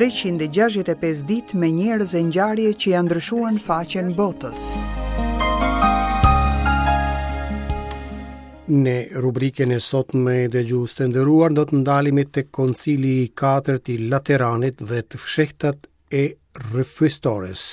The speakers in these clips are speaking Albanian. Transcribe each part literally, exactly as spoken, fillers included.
treqind e gjashtëdhjetë e pesë ditë me njerëz e ngjarje që janë ndryshuar në faqen botës. Në rubrikën e sotme dëgjues të nderuar do të ndalemi tek Koncili i katërt i Lateranit dhe të fshehtat e rrëfyestores.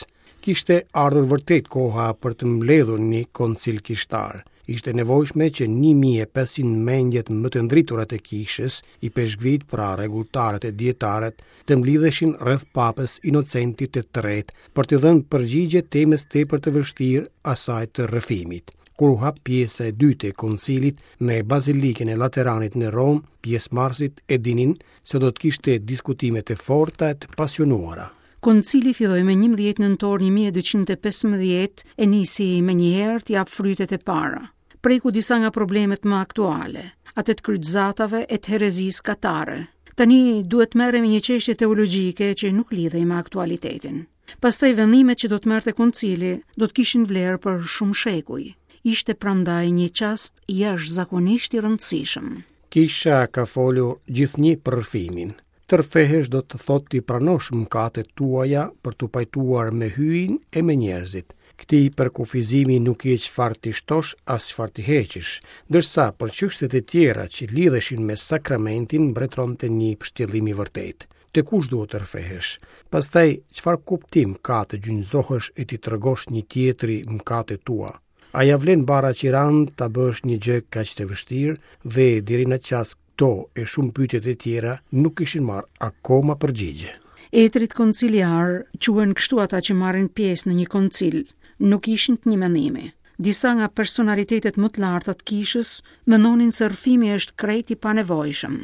Kishte ardhur vërtet koha për të mbledhur një koncil kishtar. Ishte nevojshme që një mijë e pesëqind mendjet më të ndritura të kishës, i peshkvit, pra rregulltarët e dietarët, të mblidheshin rreth Papës Inocentit të tretë për të dhënë përgjigje temës tepër të vështirë, asaj të rrëfimit. Kur u hap pjesa e dytë e koncilit në Bazilikën e Lateranit në Romë, pjesëmarrësit e dinin se do të kishte diskutime të forta e të pasionuara. Koncili filloi me njëmbëdhjetë nëntor një mijë e dyqind e pesëmbëdhjetë e nisi me njëherë të jap frytet e para. Preku disa nga problemet më aktuale, atë të kryqëzatave e të herezisë katare. Tani duhet merremi një çështje teologjike që nuk lidhej me aktualitetin. Pastaj vendimet që do të merrte koncili do të kishin vlerë për shumë shekuj. Ishte prandaj një çast jashtëzakonisht i rëndësishëm. Kisha ka folur gjithnjë për rrëfimin. Të rrëfehesh do të thotë t'i pranosh mëkatet tuaja për t'u pajtuar me hyjin e me njerëzit. Këtij përkufizimi nuk i çfarë t'i shtosh as çfarë t'i heqësh, ndërsa për çështjet e tjera që lidheshin me sakramentin mbretëronte një pështjellim i vërtetë. Te kush duhet të rrëfehesh? Pastaj çfarë kuptim ka të gjunjëzohesh e t'i tregosh një tjetri mëkatet tua? A ja vlen bara qiran ta bësh një gjë kaq të vështirë dhe deri në çast këto e shumë pyetje të tjera nuk kishin marrë akoma përgjigje. Etrit konciliar quhen kështu ata që marrin pjesë në një koncil, nuk ishin të një mendimi. Disa nga personalitetet më të larta të kishës mendonin se rrëfimi është krejt i panevojshëm.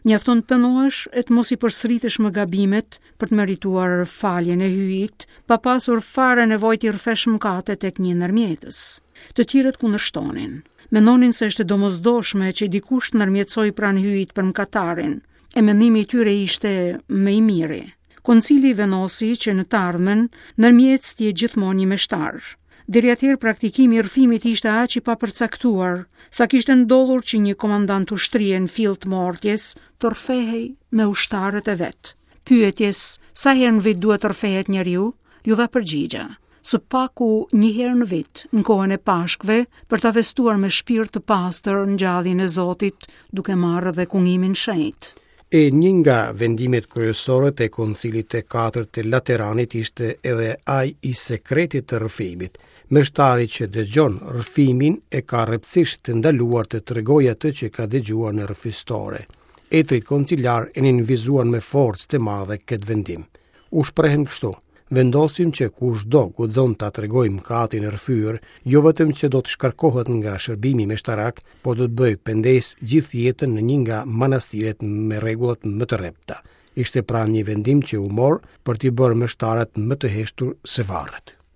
Mjafton të pendohesh e të mos i përsëritesh më gabimet për të merituar faljen e hyjit, pa pasur fare nevojë t'i rrëfesh mëkatet tek një ndërmjetës. Të tjerët kundërshtonin. Mendonin se është e domosdoshme që dikush të ndërmjetësojë pranë hyjit për mëkatarin, e mendimi i tyre ishte më i miri. Koncili vendosi që në të ardhmen ndërmjetës të jetë gjithmonë një meshtar. Deri atëherë praktikimi i rrëfimit ishte aq i papërcaktuar, sa kishte ndodhur që një komandant ushtrie në fill të mortjes të rrëfehej me ushtarët e vet. Pyetjes sa herë në vit duhet të rrëfehet njeriu, ju dha përgjigja: së paku një herë në vit, në kohën e Pashkëve, për ta festuar me shpirt të pastër ngjalljen e Zotit, duke marrë edhe kungimin shenjt. E një nga vendimet kryesore të Koncilit të katërt të Lateranit ishte edhe ai i sekretit të rrëfimit. Meshtari që dëgjon rrëfimin e ka rreptësisht të ndaluar të tregojë atë që ka dëgjuar në rrëfistore. Etrit konciliar e nënvizuan me forcë të madhe këtë vendim. U shprehen kështu: vendosim që kushdo guxon ta tregojë mëkatin e rrëfyer, jo vetëm që do të shkarkohet nga shërbimi meshtarak, por do të bëjë pendesë gjithë jetën në një nga manastiret me rregullat më të rrepta. Ishte pra një vendim që u mor për t'i bërë meshtarët më të heshtur se varret.